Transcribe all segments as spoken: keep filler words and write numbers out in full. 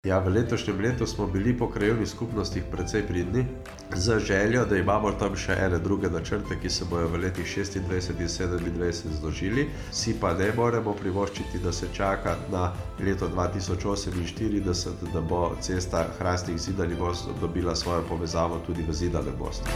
Ja, v letošnjem letu smo bili po krajevnih skupnostih precej pridni, z željo, da imamo tam še ene druge načrte, ki se bojo v letih šestindvajset in sedemindvajset zložili. Si pa ne moremo privoščiti, da se čaka na leto dva tisoč oseminštirideset, da bo cesta Hrastnik-Zidani Most dobila svojo povezavo tudi v Zidanem Mostu.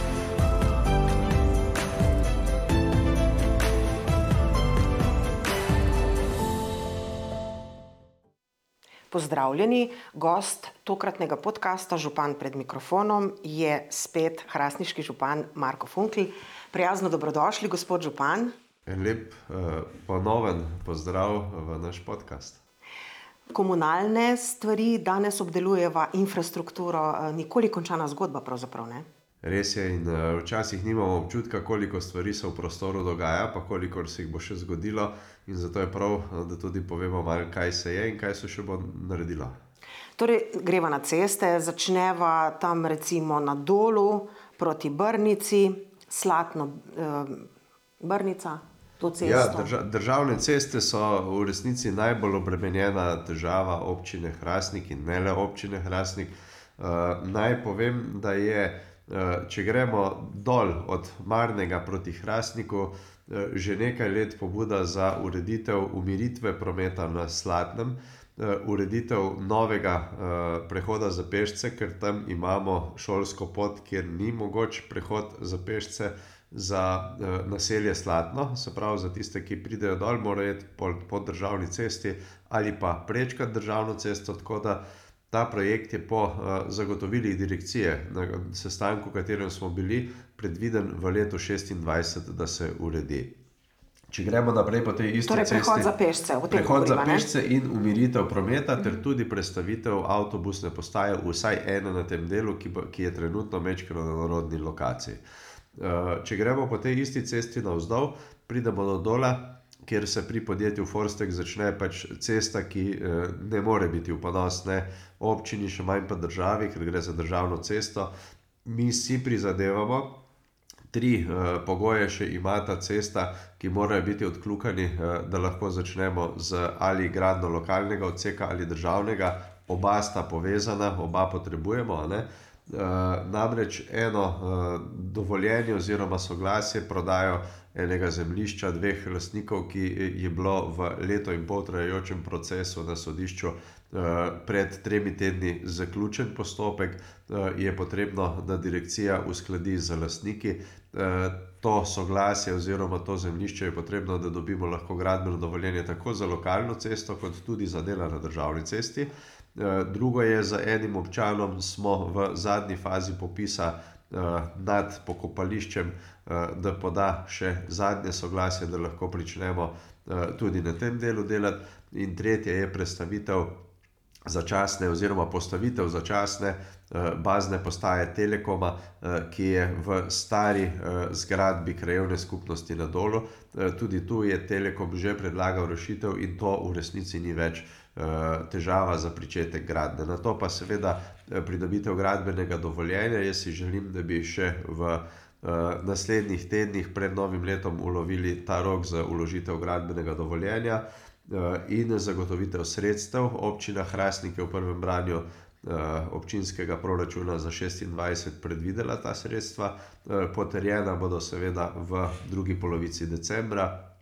Pozdravljeni, gost tokratnega podcasta Župan pred mikrofonom je spet hrastniški župan Marko Funkl. Prijazno dobrodošli, gospod župan. En lep uh, ponoven pozdrav v naš podcast. Komunalne stvari danes obdelujeva, infrastrukturo, nikoli končana zgodba pravzaprav, ne? Res je in uh, včasih nimamo občutka, koliko stvari se v prostoru dogaja, pa koliko se jih bo še zgodilo, in zato je prav, da tudi povemo malo, kaj se je in kaj se še bo naredilo. Torej, greva na ceste, začneva tam recimo na Dolu proti Brnici, Slatno eh, Brnica, to cesto. Ja, drža, državne ceste so v resnici najbolj obremenjena težava občine Hrastnik in ne le občine Hrastnik. Uh, naj povem, da je če gremo dol od Marnega proti Hrastniku, že nekaj let pobuda za ureditev umiritve prometa na Slatnem, ureditev novega prehoda za pešce, ker tam imamo šolsko pot, kjer ni mogoč prehod za pešce za naselje Slatno, se pravi za tiste, ki pridejo dol, morajo iti po, po državni cesti ali pa prečkati državno cesto, tako da ta projekt je po uh, zagotovilih direkcije na sestanku, v katerem smo bili, predviden v letu šestindvajset, da se uredi. Če gremo naprej po tej isti torej, cesti... Prehod za pešce. Prehod za pešce in umiritev prometa, ter tudi prestavitev avtobusne postaje, vsaj ena na tem delu, ki, bo, ki je trenutno mečkeno na narodni lokaciji. Uh, če gremo po tej isti cesti navzdol, pridemo do Dola, kjer se pri podjetju Forstek začne pač cesta, ki eh, ne more biti v ponos ne občini, še manj pa državi, ker gre za državno cesto. Mi si prizadevamo, tri eh, pogoje še ima ta cesta, ki morajo biti odkljukani, eh, da lahko začnemo z ali gradnjo lokalnega odseka ali državnega. Oba sta povezana, oba potrebujemo, a ne? Uh, namreč eno uh, dovoljenje oziroma soglasje prodajo enega zemljišča dveh lastnikov, ki je bilo v leto in pol trajajočem procesu na sodišču uh, pred tremi tedni zaključen postopek, uh, je potrebno, da direkcija uskladi z lastniki. Uh, to soglasje oziroma to zemljišče je potrebno, da dobimo lahko gradbeno dovoljenje tako za lokalno cesto, kot tudi za dela na državni cesti. Drugo je, za enim občanom smo v zadnji fazi popisa uh, nad pokopališčem, uh, da poda še zadnje soglasje, da lahko pričnemo uh, tudi na tem delu delati. In tretje je prestavitev začasne oziroma postavitev začasne uh, bazne postaje Telekoma, uh, ki je v stari uh, zgradbi krajevne skupnosti na Dolu. Uh, tudi tu je Telekom že predlagal rešitev in to v resnici ni več težava za pričetek gradnje. Na to pa seveda pridobitev gradbenega dovoljenja. Jaz si želim, da bi še v uh, naslednjih tednih pred novim letom ulovili ta rok za uložitev gradbenega dovoljenja uh, in zagotovitev sredstev. Občina Hrastnik je v prvem branju uh, občinskega proračuna za šestindvajset predvidela ta sredstva. Uh, potrjena bodo seveda v drugi polovici decembra.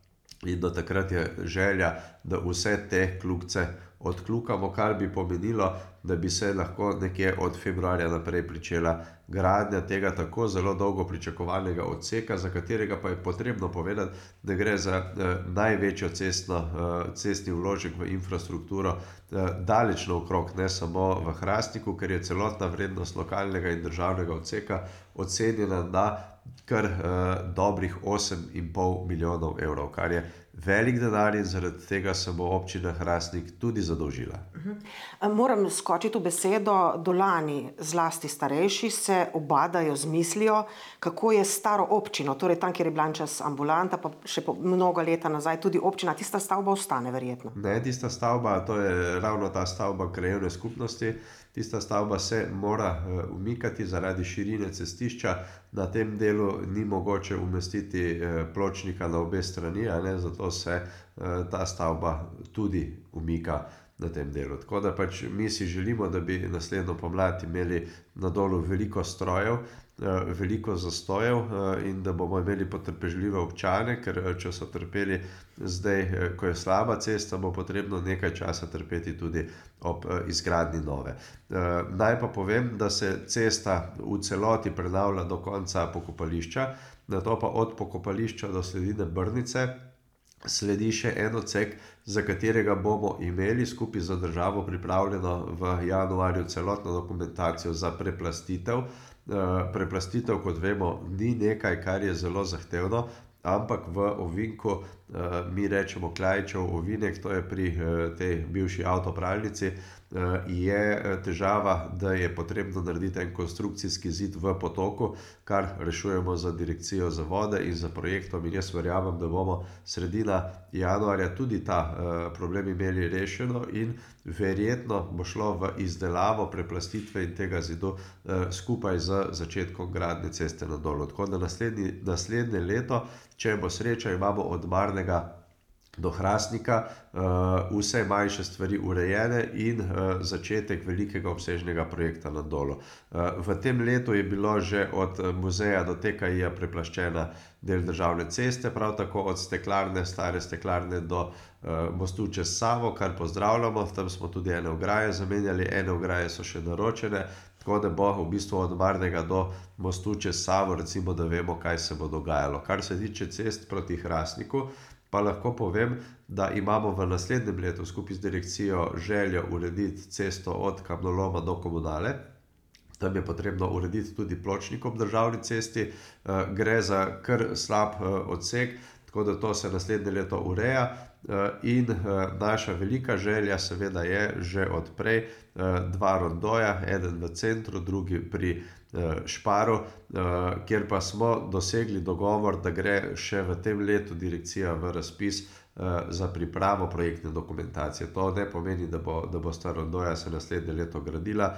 In do takrat je želja, da vse te kljukce odkljukamo, kar bi pomenilo, da bi se lahko nekje od februarja naprej pričela gradnja tega tako zelo dolgo pričakovanega odseka, za katerega pa je potrebno povedati, da gre za eh, največjo cestno, eh, cestni vložek v infrastrukturo eh, daleč naokrog, ne samo v Hrastniku, ker je celotna vrednost lokalnega in državnega odseka ocenjena na kar uh, dobrih osem in pol milijonov evrov, kar je velik denar in zaradi tega se bo občina Hrastnik tudi zadolžila. Uh-huh. Moram skočiti v besedo. Dolani, zlasti starejši, se obadajo z mislijo, kako je staro občino, torej tam, kjer je bila čas ambulanta, pa še po mnogo leta nazaj tudi občina, tista stavba ostane verjetno. Ne, tista stavba, to je ravno ta stavba krajevne skupnosti. Tista stavba se mora uh, umikati zaradi širine cestišča. Na tem delu ni mogoče umestiti uh, pločnika na obe strani, a ne, zato se uh, ta stavba tudi umika. na tem delu. Tako da pač mi si želimo, da bi naslednjo pomlad imeli na Dolu veliko strojev, veliko zastojev in da bomo imeli potrpežljive občane, ker če so trpeli zdaj, ko je slaba cesta, bo potrebno nekaj časa trpeti tudi ob izgradnji nove. Naj pa povem, da se cesta v celoti prenavlja do konca pokopališča, nato pa od pokopališča do sredine Brnice sledi še en odsek, za katerega bomo imeli skupaj z državo pripravljeno v januarju celotno dokumentacijo za preplastitev. Preplastitev, kot vemo, ni nekaj, kar je zelo zahtevno, ampak v ovinku, mi rečemo Kljajičev ovinek, to je pri tej bivši avtopralnici, je težava, da je potrebno narediti en konstrukcijski zid v potoku, kar rešujemo z Direkcijo za vode in z projektom, in jaz verjamem, da bomo sredina januarja tudi ta problem imeli rešeno in verjetno bo šlo v izdelavo preplastitve in tega zidu skupaj z začetkom gradnje ceste na Dolu. Tako da naslednji, naslednje leto, če bo sreča, imamo od Marnega do Hrastnika vse manjše stvari urejene in začetek velikega obsežnega projekta na Dolu. V tem letu je bilo že od muzeja do T K I-ja preplaščena del državne ceste, prav tako od steklarne, stare steklarne do mostu čez Savo, kar pozdravljamo, tam smo tudi ene ograje zamenjali, ene ograje so še naročene, tako da bo v bistvu od Marnega do mostu čez Savo, recimo, da vemo, kaj se bo dogajalo. Kar se tiče cest proti Hrastniku, pa lahko povem, da imamo v naslednjem letu skupaj z direkcijo željo urediti cesto od Kamnoloma do Komunale. Tam je potrebno urediti tudi pločnik ob državni cesti. Gre za kar slab odsek, tako da to se naslednje leto ureja. In naša velika želja seveda je že od prej dva rondoja, eden v centru, drugi pri Šparu, kjer pa smo dosegli dogovor, da gre še v tem letu direkcija v razpis za pripravo projektne dokumentacije. To ne pomeni, da bo, da bosta rondoja se naslednje leto gradila,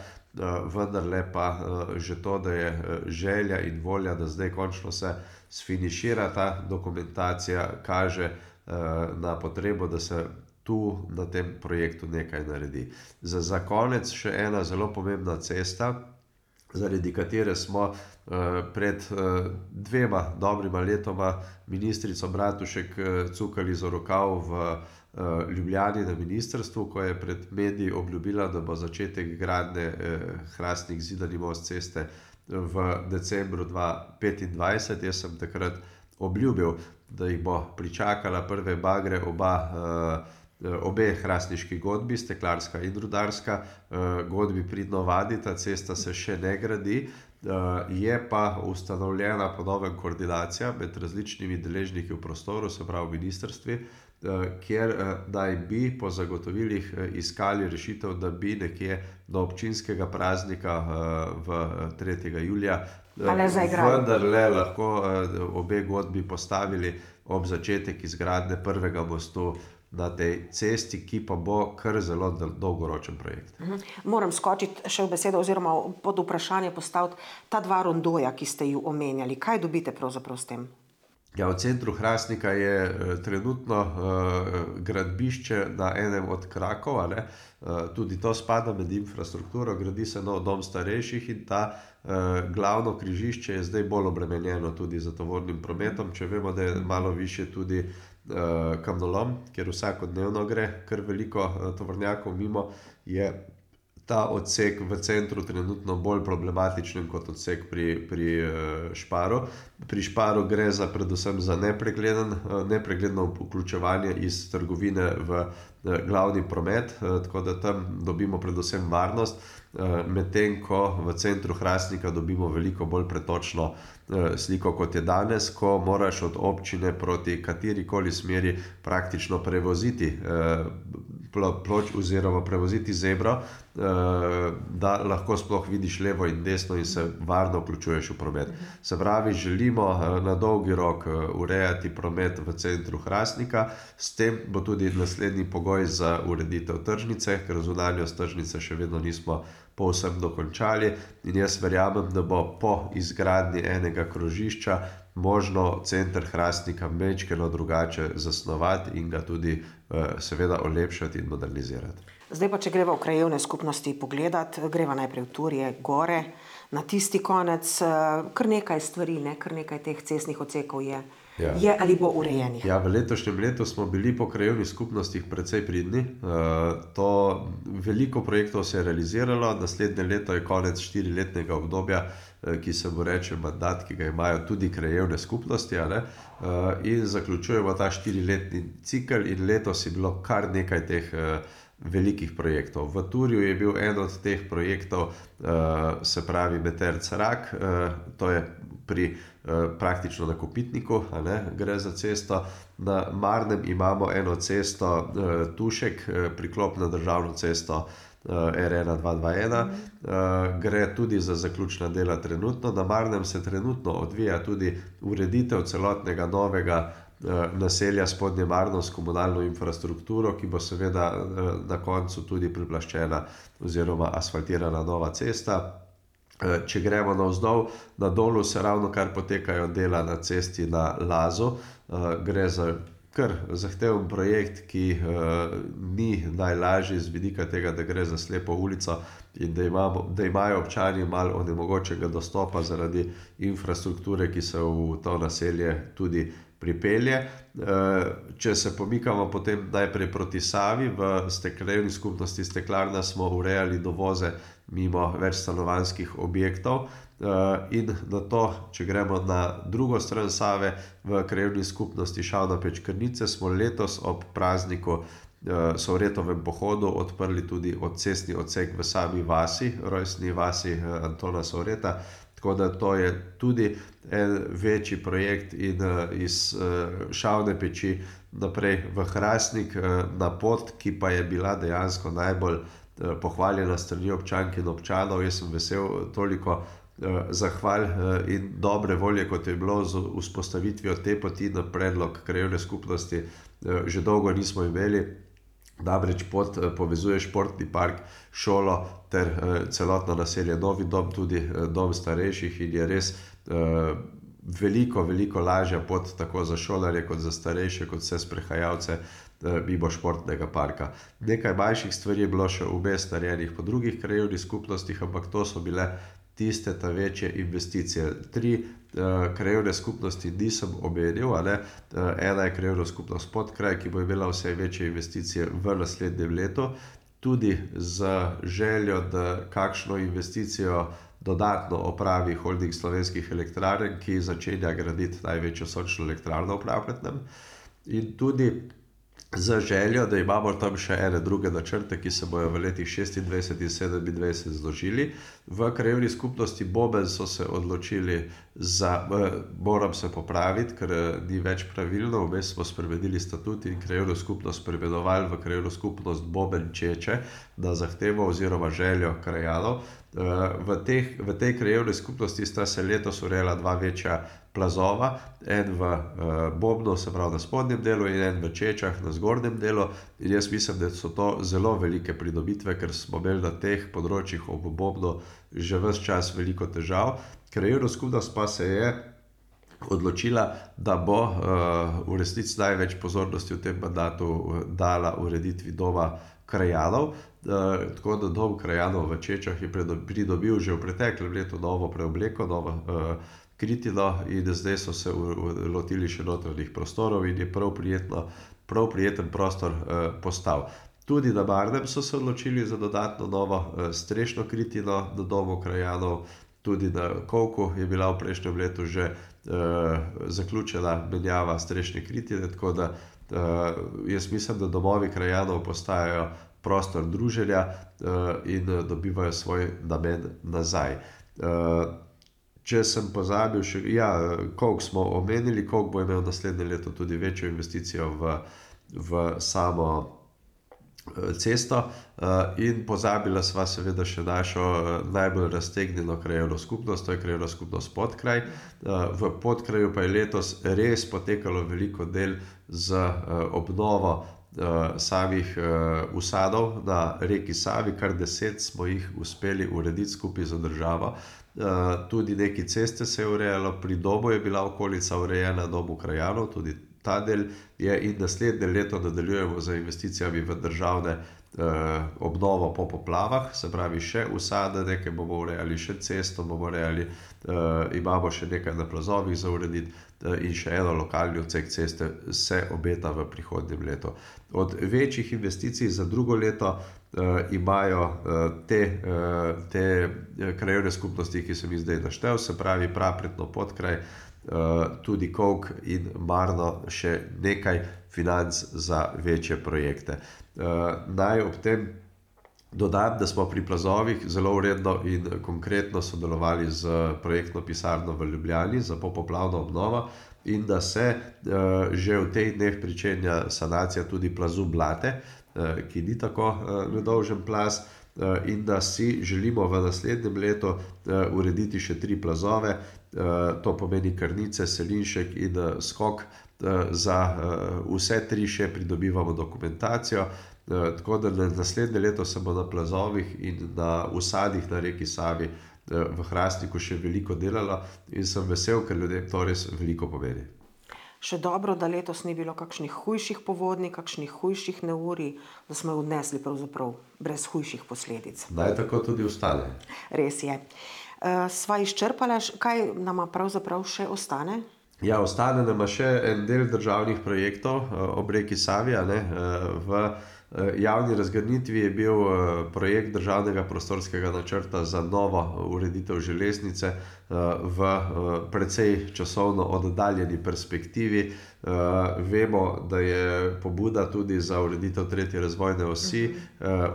vendarle pa že to, da je želja in volja, da zdaj končno se sfinišira ta dokumentacija, kaže na potrebo, da se tu na tem projektu nekaj naredi. Za, za konec še ena zelo pomembna cesta, zaradi katere smo pred dvema dobrima letoma ministrico Bratušek cukali za rokav v Ljubljani na ministrstvu, ko je pred mediji obljubila, da bo začetek gradnje Hrastnik-Zidani most ceste v decembru dva petindvajset. Jaz sem takrat obljubil, da jih bo pričakala prve bagre oba obe hrastniški godbi, steklarska in rudarska. Godbi pridno vadi, ta cesta se še ne gradi, je pa ustanovljena po novem koordinacija med različnimi deležniki v prostoru, se pravi ministrstvi, kjer naj bi po zagotovilih iskali rešitev, da bi nekje do občinskega praznika v tretjega julija vendarle lahko obe godbi postavili ob začetek izgradnje prvega mostu na tej cesti, ki pa bo kar zelo dolgoročen projekt. Moram skočiti še v besedo oziroma pod vprašanje postaviti ta dva rondoja, ki ste ju omenjali. Kaj dobite pravzaprav s tem? Ja, v centru Hrastnika je trenutno gradbišče na enem od krakov, a ne. Tudi to spada med infrastrukturo, gradi se nov dom starejših in ta glavno križišče je zdaj bolj obremenjeno tudi z tovornim prometom, če vemo, da je malo višje tudi Kamnolom, kjer vsakodnevno gre kar veliko tovornjakov mimo, je ta odsek v centru trenutno bolj problematičen kot odsek pri, pri Šparu. Pri Šparu gre za predvsem za nepregleden, nepregledno vključevanje iz trgovine v glavni promet, tako da tam dobimo predvsem varnost, medtem ko v centru Hrastnika dobimo veliko bolj pretočno sliko, kot je danes, ko moraš od občine proti katerikoli smeri praktično prevoziti ploč oziroma prevoziti zebro, da lahko sploh vidiš levo in desno in se varno vključuješ v promet. Se pravi, želimo na dolgi rok urejati promet v centru Hrastnika, s tem bo tudi naslednji pogoj za ureditev tržnice, ker zunanjost tržnice še vedno nismo povsem dokončali in jaz verjamem, da bo po izgradnji enega krožišča možno center Hrastnika majčkeno drugače zasnovati in ga tudi seveda olepšati in modernizirati. Zdaj pa, če greva v krajevne skupnosti pogledat, greva najprej v Turje, gore, na tisti konec, kar nekaj stvari, ne, kar nekaj teh cestnih odsekov je. Ja. Je ali bo urejenih. Ja, v letošnjem letu smo bili po krajevnih skupnostih precej pridni. Uh, to veliko projektov se je realiziralo, naslednje leto je konec štiriletnega obdobja, uh, ki se mu reče mandat, ki ga imajo tudi krajevne skupnosti, a ne? Uh, in zaključujemo ta štiriletni cikel in letos je bilo kar nekaj teh uh, velikih projektov. V Turju je bil en od teh projektov, uh, se pravi Meterc-Rak, uh, to je pri uh, praktično na Kopitniku, a ne, gre za cesto. Na Marnem imamo eno cesto uh, Tušek, uh, priklop na državno cesto uh, R ena dva dva ena, uh, gre tudi za zaključna dela trenutno. Na Marnem se trenutno odvija tudi ureditev celotnega novega uh, naselja Spodnje Marno s komunalno infrastrukturo, ki bo seveda uh, na koncu tudi priplaščena oziroma asfaltirana nova cesta. Če gremo navzdol, na Dolu se ravno kar potekajo dela na cesti na Lazu. Gre za kar zahteven projekt, ki ni najlažji z vidika tega, da gre za slepo ulico in da, imamo, da imajo občani malo onemogočenega dostopa zaradi infrastrukture, ki se v to naselje tudi pripelje. Če se pomikamo potem najprej proti Savi, v krajevni skupnosti Steklarna smo urejali dovoze mimo več stanovanjskih objektov in na to, če gremo na drugo stran Save, v krajevni skupnosti Šavna-Pečkrnice smo letos ob prazniku Sovretovem pohodu odprli tudi odcestni odsek v sami vasi, rojstni vasi Antona Sovreta. Tako da to je tudi en večji projekt in iz Šavne peči naprej v Hrastnik na pot, ki pa je bila dejansko najbolj pohvaljena strani občank in občanov. Jaz sem vesel toliko zahval in dobre volje, kot je bilo z vzpostavitvijo te poti na predlog krajevne skupnosti, že dolgo nismo imeli. Namreč pot povezuje športni park, šolo ter celotno naselje Novi dom, tudi dom starejših in je res veliko, veliko lažja pot tako za šolarje, kot za starejše, kot vse sprehajalce mimo športnega parka. Nekaj manjših stvari je bilo še vmes narejenih po drugih krajevnih skupnostih, ampak to so bile tiste ta večje investicije. Tri uh, krajevne skupnosti nisem omenil, a ne? Uh, ena je krajevna skupnost Podkraj, ki bo imela vse večje investicije v naslednjem letu, tudi z željo, da kakšno investicijo dodatno opravi Holding Slovenskih elektrarn, ki začenja graditi največjo sončno elektrarno v Pravkletnem, in tudi z željo, da imamo tam še ene druge načrte, ki se bojo v letih šestindvajset in sedemindvajset zložili. V krajevni skupnosti Boben so se odločili za, moram se popraviti, ker ni več pravilno, vmes smo spremenili statut in krajevno skupnost preimenovali v krajevno skupnost Boben Čeče na zahtevo oziroma željo krajanov. V, teh, v tej krajevni skupnosti sta se letos urejala dva večja plazova, en v uh, Bobnu, se pravi na spodnjem delu, in en v Čečah na zgornjem delu. In jaz mislim, da so to zelo velike pridobitve, ker smo imeli na teh področjih ob Bobnu že ves čas veliko težav. Krajevna skupnost pa se je odločila, da bo uh, v resnici največ pozornosti v tem mandatu dala ureditvi doma krajanov. Uh, tako da dom krajanov v Čečah je pridobil že v preteklem letu novo preobleko, novo uh, kritino, in zdaj so se lotili še notranjih prostorov in je prav prijetno, prav prijeten prostor uh, postal. Tudi na Marnem so se odločili za dodatno novo uh, strešno kritino na domu krajanov, tudi na Kovku je bila v prejšnjem letu že uh, zaključena menjava strešne kritine, tako da uh, jaz mislim, da domovi krajanov postajajo prostor druženja uh, in dobivajo svoj namen nazaj. Uh, Če sem pozabil še, ja, Kovk smo omenili, Kovk bo imel naslednje leto tudi večjo investicijo v, v samo cesto in pozabila sva seveda še našo najbolj raztegnjeno krajevno skupnost, to je krajevna skupnost Podkraj. V Podkraju pa je letos res potekalo veliko del z obnovo samih usadov na reki Savi, kar deset smo jih uspeli urediti skupaj z državo. Tudi neki ceste se je urejalo, pri domu je bila okolica urejena, domu krajanov, tudi ta del je, in naslednje leto nadaljujemo z investicijami v državne obnovo po poplavah, se pravi še usade, nekaj bomo urejali, še cesto bomo urejali, imamo še nekaj na plazovih za urediti in še eno lokalni odsek ceste se obeta v prihodnjem letu. Od večjih investicij za drugo leto imajo te, te krajevne skupnosti, ki sem jih zdaj naštel, se pravi Prapretno, Podkraj, tudi Kolk in Marno še nekaj financ za večje projekte. Naj ob tem dodam, da smo pri plazovih zelo uredno in konkretno sodelovali z projektno pisarno v Ljubljani za popoplavno obnovo in da se že v teh dneh pričenja sanacija tudi plazu Blate, ki ni tako nedolžen plaz, in da si želimo v naslednjem letu urediti še tri plazove, to pomeni Krnice, Selinšek in Skok. Za vse tri še pridobivamo dokumentacijo, tako da naslednje leto se bo na plazovih in na usadih na reki Savi v Hrastniku še veliko delalo in sem vesel, ker ljudem to res veliko pomeni. Še dobro, da letos ni bilo kakšnih hujših povodnji, kakšnih hujših neurij, da smo jo odnesli pravzaprav brez hujših posledic. Naj tako tudi ostane. Res je. Sva izčrpala, kaj nama pravzaprav še ostane? Ja, ostane nama še en del državnih projektov ob reki Savi, a ne. V javni razgrnitvi je bil projekt državnega prostorskega načrta za novo ureditev železnice v precej časovno oddaljeni perspektivi. Vemo, da je pobuda tudi za ureditev tretje razvojne osi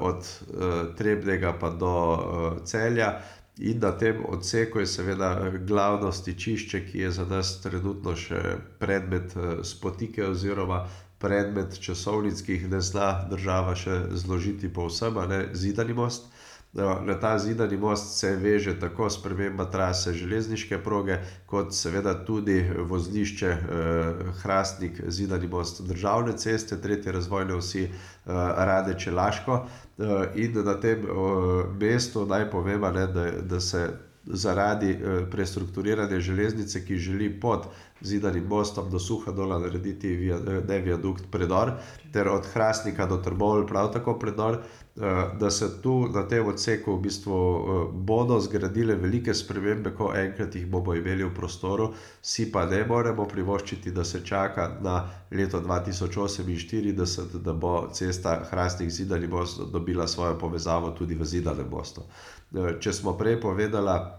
od Trebnjega pa do Celja. In na tem odseku je seveda glavno stičišče, ki je za nas trenutno še predmet spotike oziroma predmet časovnic, ki jih ne zna država še zložiti povsem, a ne, Zidani most. Na ta Zidani most se veže tako sprememba trase železniške proge, kot seveda tudi vozlišče Hrastnik, Zidani most državne ceste, tretje razvojne osi Radeče-Laško. In na tem mestu naj povem, a ne, da, da se zaradi prestrukturiranja železnice, ki želi pod Zidanim mostom do Suhadola narediti ne viadukt, predor, ter od Hrastnika do Trbovelj prav tako predor, da se tu na tem odseku v bistvu bodo zgradile velike spremembe, ko enkrat jih bomo imeli v prostoru, si pa ne moremo privoščiti, da se čaka na leto dva tisoč oseminštirideset, da bo cesta Hrastnik-Zidani most dobila svojo povezavo tudi v Zidanem mostu. Če smo prej povedala,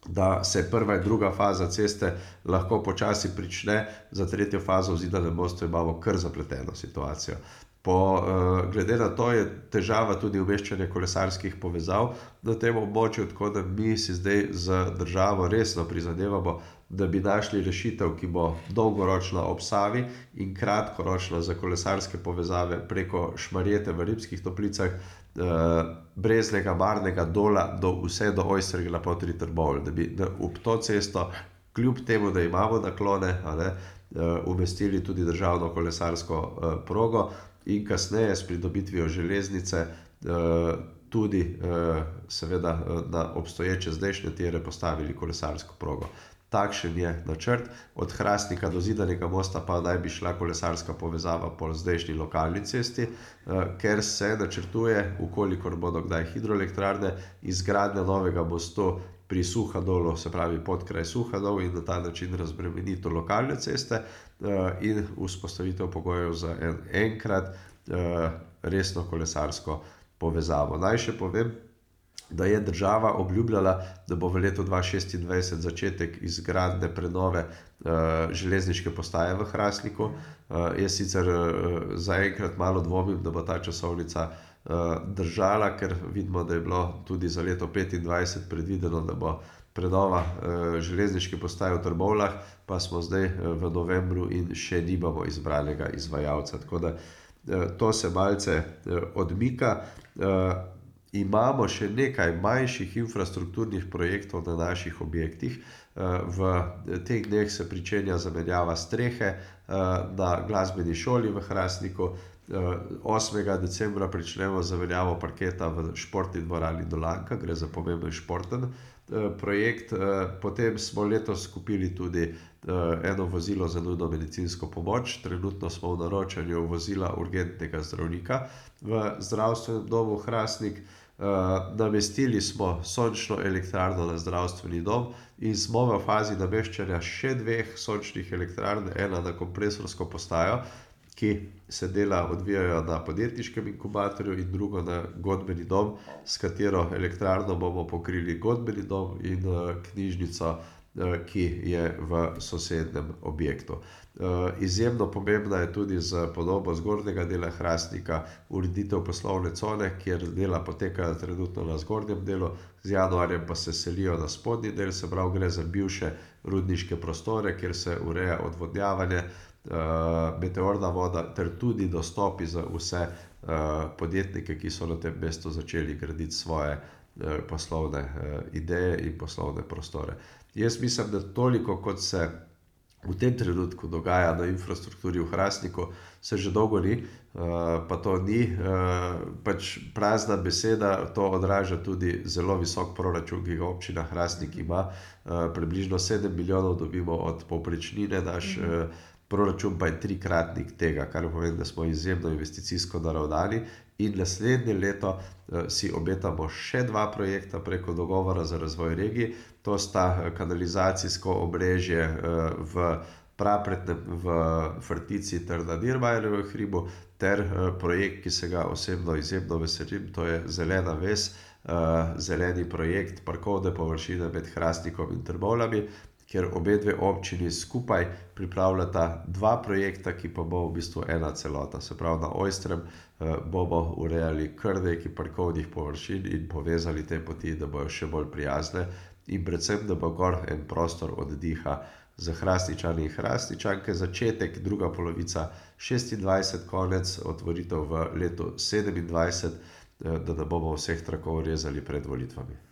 da se prva in druga faza ceste lahko počasi prične, za tretjo fazo v Zidanem mostu imamo kar zapleteno situacijo. Po, glede na to je težava tudi umeščanje kolesarskih povezav na tem območju, tako da mi si zdaj z državo resno prizadevamo, da bi našli rešitev, ki bo dolgoročna ob Savi in kratkoročna za kolesarske povezave preko Šmarjete v Rimskih Toplicah, Breznega, Marnega, Dola, do, vse do Ojstrgla potri Trbovelj, da bi ob to cesto, kljub temu, da imamo naklone, a ne, umestili tudi državno kolesarsko progo in kasneje s pridobitvijo železnice tudi seveda na obstoječe zdajšnje tire postavili kolesarsko progo. Takšen je načrt, od Hrastnika do Zidanega mosta pa naj bi šla kolesarska povezava po zdajšnji lokalni cesti, ker se načrtuje, v kolikor bodo kdaj hidroelektrarne, izgradnja novega mostu pri Suhadolu, se pravi Podkraj Suhadol, in na ta način razbremenitev lokalne ceste in vzpostavitev pogojev za en, enkrat resno kolesarsko povezavo. Naj še povem, da je država obljubljala, da bo v letu dva šestindvajset začetek izgradnje prenove železniške postaje v Hrastniku. Jaz sicer zaenkrat malo dvomim, da bo ta časovnica držala, ker vidimo, da je bilo tudi za leto petindvajset predvideno, da bo prenova železniške postaje v Trbovljah, pa smo zdaj v novembru in še nimamo izbranega izvajalca. Tako da to se malce odmika. Imamo še nekaj manjših infrastrukturnih projektov na naših objektih. V teh dneh se pričenja zamenjava strehe na glasbeni šoli v Hrastniku. osmega decembra pričnemo zaveljavo parketa v športni dvorani Dolanka, gre za pomemben športen projekt. Potem smo letos kupili tudi eno vozilo za nujno medicinsko pomoč. Trenutno smo v naročanju vozila urgentnega zdravnika v zdravstvenem domu Hrastnik. Namestili smo sončno elektrarno na zdravstveni dom in smo v fazi nameščanja še dveh sončnih elektrarn, ena na kompresorsko postajo, ki se dela odvijajo na podjetniškem inkubatorju, in drugo na godbeni dom, s katero elektrarno bomo pokrili godbeni dom in knjižnico, ki je v sosednjem objektu. Izjemno pomembna je tudi za podobo zgornjega dela Hrastnika ureditev poslovne cone, kjer dela potekajo trenutno na zgornjem delu, z januarjem pa se selijo na spodnji del, se pravi gre za bivše rudniške prostore, kjer se ureja odvodnjavanje, meteorna voda ter tudi dostopi za vse podjetnike, ki so na tem mestu začeli graditi svoje poslovne ideje in poslovne prostore. Jaz mislim, da toliko, kot se v tem trenutku dogaja na infrastrukturi v Hrastniku, se že dolgo ni, pa to ni pač prazna beseda, to odraža tudi zelo visok proračun, ki ga občina Hrastnik ima. Približno sedem milijonov dobimo od povprečnine, naš proračun pa je trikratnik tega, kar pomeni, da smo izjemno investicijsko naravnani, in naslednje leto si obetamo še dva projekta preko dogovora za razvoj regij. To sta kanalizacijsko omrežje v Prapretnem, v Frtici ter na Dirmajerjevem hribu ter projekt, ki se ga osebno izjemno veselim, to je Zelena ves, zeleni projekt parkovne površine med Hrastnikom in Trbovljami, kjer obe dve občini skupaj pripravljata dva projekta, ki pa bo v bistvu ena celota. Se pravi, na Ojstrem bomo urejali kar nekaj parkovnih površin in povezali te poti, da bojo še bolj prijazne in predvsem, da bo gor en prostor oddiha za Hrastničane in Hrastničanke. Začetek, druga polovica šestindvajset, konec otvoritev v letu sedemindvajset, da ne bomo vseh trakov rezali pred volitvami.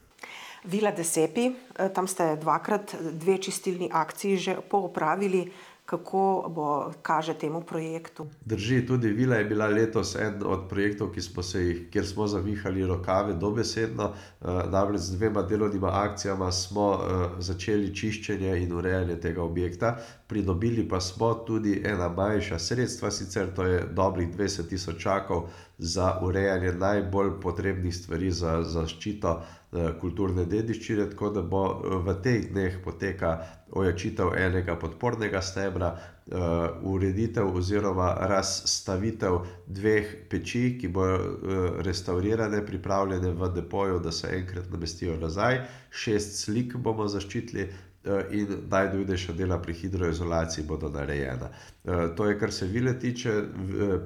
Vila Desepi, tam ste dvakrat dve čistilni akciji že poopravili. Kako bo, kaže temu projektu? Drži, tudi vila je bila letos eden od projektov, ki smo se jih, kjer smo zavihali rokave dobesedno. Namreč z dvema delovnima akcijama smo začeli čiščenje in urejanje tega objekta. Pridobili pa smo tudi ena manjša sredstva, sicer to je dobrih dvajset tisočakov za urejanje najbolj potrebnih stvari za zaščito kulturne dediščine, tako da bo v teh dneh poteka ojačitev enega podpornega stebra, ureditev oziroma razstavitev dveh peči, ki bojo restavrirane, pripravljene v depoju, da se enkrat namestijo nazaj. Šest slik bomo zaščitili in najnujnejša dela pri hidroizolaciji bodo narejena. To je, kar se vile tiče.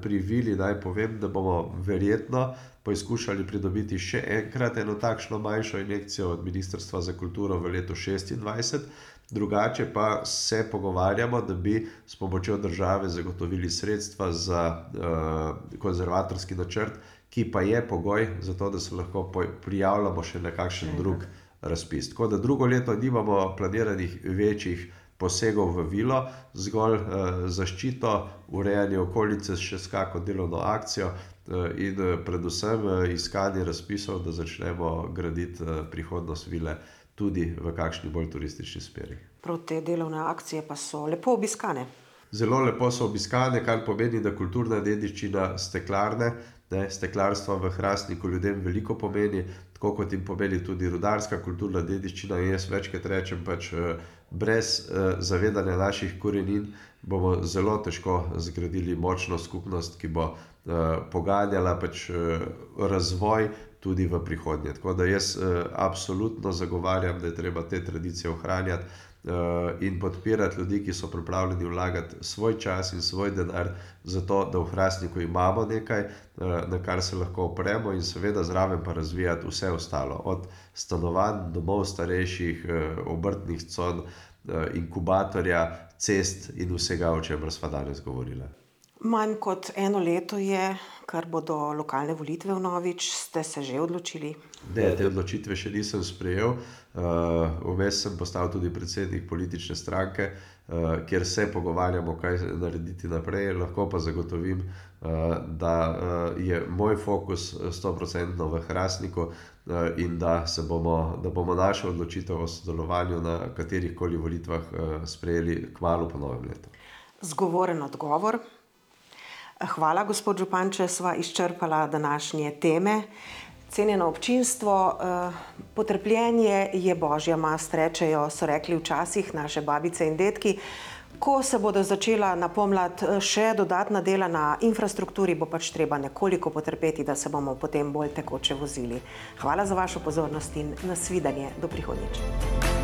Pri vili naj povem, da bomo verjetno poizkušali pridobiti še enkrat eno takšno manjšo injekcijo od Ministrstva za kulturo v letu šestindvajset. Drugače pa se pogovarjamo, da bi s pomočjo države zagotovili sredstva za konzervatorski načrt, ki pa je pogoj za to, da se lahko prijavljamo še na kakšen drug razpis. Tako da drugo leto nimamo planiranih večjih posegov v vilo, zgolj zaščito, urejanje okolice še s kako delovno akcijo in predvsem iskanje razpisov, da začnemo graditi prihodnost vile tudi v kakšni bolj turistični smeri. Prav te delovne akcije pa so lepo obiskane. Zelo lepo so obiskane, kar pomeni, da kulturna dediščina steklarne, ne, steklarstva v Hrastniku ljudem veliko pomeni, tako kot jim pomeni tudi rudarska kulturna dediščina. In jaz večkrat rečem, pač brez zavedanja naših korenin bomo zelo težko zgradili močno skupnost, ki bo poganjala pač razvoj tudi v prihodnje. Tako da jaz absolutno zagovarjam, da je treba te tradicije ohranjati in podpirati ljudi, ki so pripravljeni vlagati svoj čas in svoj denar za to, da v Hrastniku imamo nekaj, na kar se lahko opremo, in seveda zraven pa razvijati vse ostalo. Od stanovanj, domov starejših, obrtnih con, inkubatorja, cest in vsega, o čemer sva danes govorila. Manj kot eno leto je, kar bodo lokalne volitve vnovič. Ste se že odločili? Ne, te odločitve še nisem sprejel. Uh, vmes sem postal tudi predsednik politične stranke, uh, kjer se pogovarjamo, kaj narediti naprej. Lahko pa zagotovim, uh, da uh, je moj fokus sto procentno v Hrastniku uh, in da, se bomo, da bomo našo odločitev o sodelovanju na katerih koli volitvah uh, sprejeli kmalu po novem letu. Zgovoren odgovor. Hvala, gospod župan, če sva izčrpala današnje teme. Cenjeno občinstvo, potrpljenje je božja mast, rečejo, so rekli včasih naše babice in dedki. Ko se bodo začela na pomlad še dodatna dela na infrastrukturi, bo pač treba nekoliko potrpeti, da se bomo potem bolj tekoče vozili. Hvala za vašo pozornost in nasvidenje. Do prihodnjič.